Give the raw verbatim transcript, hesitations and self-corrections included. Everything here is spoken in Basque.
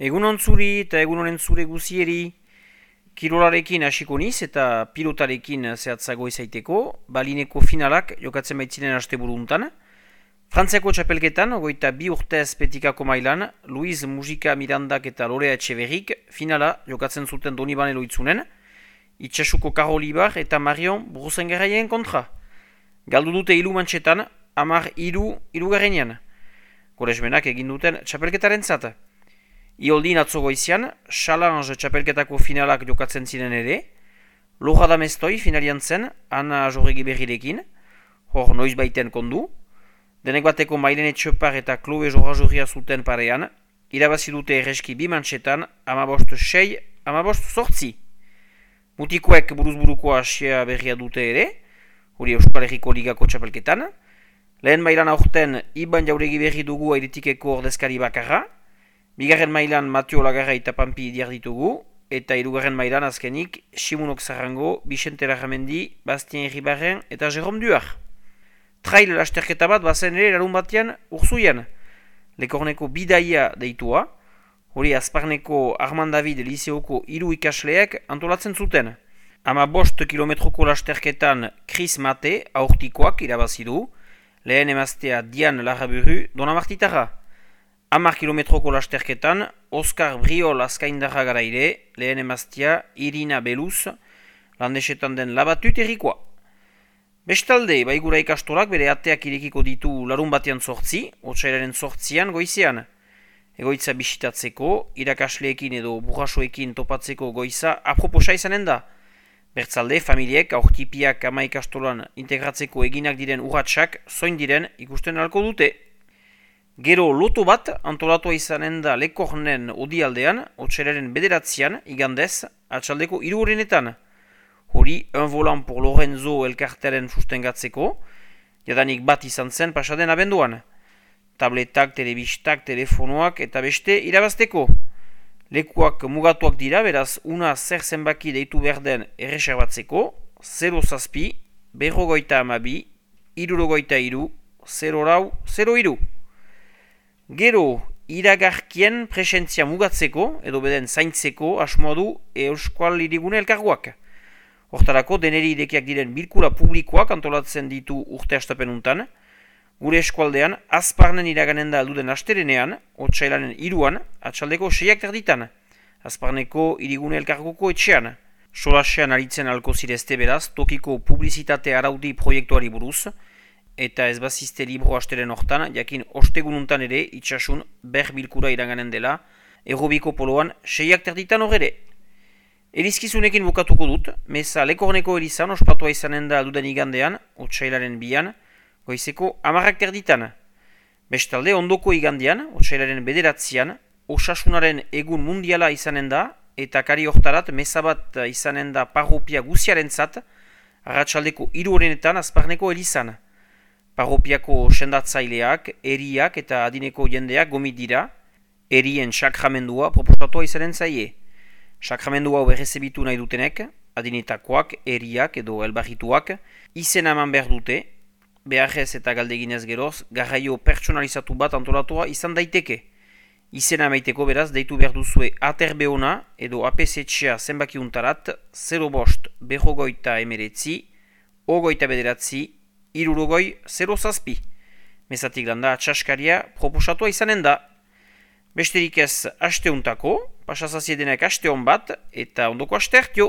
Egun ontzuri eta egun honen zure guzieri, kirolarekin hasiko niz eta pilotarekin zehatzago izaiteko, balineko finalak jokatzen baitziren asteburu untan. Frantziako txapelketan, ogoita bi urtez petikako mailan, Luis Mujika Mirandak eta Lorea Etxeverrik finala jokatzen zuten Donibane Loitzunen, Itxasuko Karolibar eta Marion Bruzengarraien kontra. Galdu dute hiru mantxetan, hamar hiru hirugarrenean. Goresmenak egin duten txapelketaren zata. Ioldin atzo goizian, Challenge txapelketako finalak jokatzen ziren ere, Lojada Mestoi finalian zen, Ana Jorregi berrirekin, hor noiz baiten kondu, denek bateko Mailene Txopar eta Chloe Jorra-Jorria zuten parean, irabazi dute erreski bi mantxetan, amabost sei, amabost sortzi. Mutikoek buruzburuko asia berria dute ere, hori Euskal Herriko Ligako txapelketan, lehen mailan aurten Iban Jauregi berri dugu airetikeko ordezkari bakarra, bigarren mailan Mateo Lagarra eta Pampi diar ditugu, eta hirugarren mailan azkenik Simunok Zarrango, Vicente Larramendi, Bastien Herribarren eta Jerome Duar. Trail lasterketa bat bazen ere larun batean urzuian, Lekorneko bidaia deitua, hori Azparneko Armand David Liseoko hiru ikasleek antolatzen zuten. Ama bost kilometroko lasterketan Chris Mate aurtikoak irabazi du, lehen emaztea Dian Larraburu Donamartitarra. Hamar kilometroko lasterketan, Oskar Briol azkaindarra garaire, lehen emaztea Irina Beluz, landesetan den labatut errikoa. Bestalde, baigura ikastolak bere ateak irekiko ditu larun batean sortzi, otsailaren sortzian goizean. Egoitza bisitatzeko, irakasleekin edo burrasoekin topatzeko goiza aproposa izanen da. Bertzalde, familiek aurtipiak ama ikastolan integratzeko eginak diren urratsak zoin diren ikusten alko dute. Gero loto bat antolatua izanen da Lekornen odialdean, otsailaren bederatzean, igandez, atxaldeko hiru horrenetan. Hori, un volant por Lorenzo elkartearen sustengatzeko, jadanik bat izan zen pasaden abenduan. Tabletak, telebistak, telefonoak eta beste irabazteko. Lekuak mugatuak dira, beraz, una zer zenbaki deitu behar den erreserbatzeko, zero zazpi, berrogoita amabi, irurogoita iru, zero lau, zero iru. Gero, iragarkien presentzia mugatzeko, edo beden zaintzeko asmoa du Euskal Hirigune elkarguak. Hortarako, deneri irekiak diren bilkura publikoak antolatzen ditu urte astapenuntan, gure eskualdean, Azparnen iraganen da alduden asterenean, otsailanen iruan, atxaldeko seiak terditan, Azparneko Hirigune elkargoko etxean. Solasean aritzen alko zirezte beraz, tokiko publizitate araudi proiektuari buruz, eta ez bazizte libro asteren hortan, jakin ostegununtan ere itxasun ber bilkura iraganen dela, errobiko poloan seiak terditan horre. Erizkizunekin bukatuko dut, meza Lekorneko erizan ospatua izanen da alduden igandean, otsailaren bian, goizeko amarrak terditan. Bestalde, ondoko igandean, otsailaren bederatzean, osasunaren egun mundiala izanen da, eta kari hortarat meza bat izanen da parropia guziaren zat, arratsaldeko hiru horrenetan Azparneko erizan. Parropiako sendatzaileak, eriak eta adineko jendeak gomit dira, erien sakramendua proposatua izanen zaie. Sakramendua berrezebitu nahi dutenek, adinetakoak, eriak edo elbarrituak, izen eman behar dute, beharrez eta galdeginez geroz, garraio pertsonalizatu bat antolatua izan daiteke. Izena emaiteko beraz, deitu behar duzue aterbeona edo apesetxea zenbakiuntarat, zero bost, berrogoita emeretzi, ogoita bederatzi, irurogoi, zero zazpi. Mezatik landa atxaskaria proposatua izanen da. Besterik ez asteuntako, pasazaziedenek aste hon bat, eta ondoko aste hartio.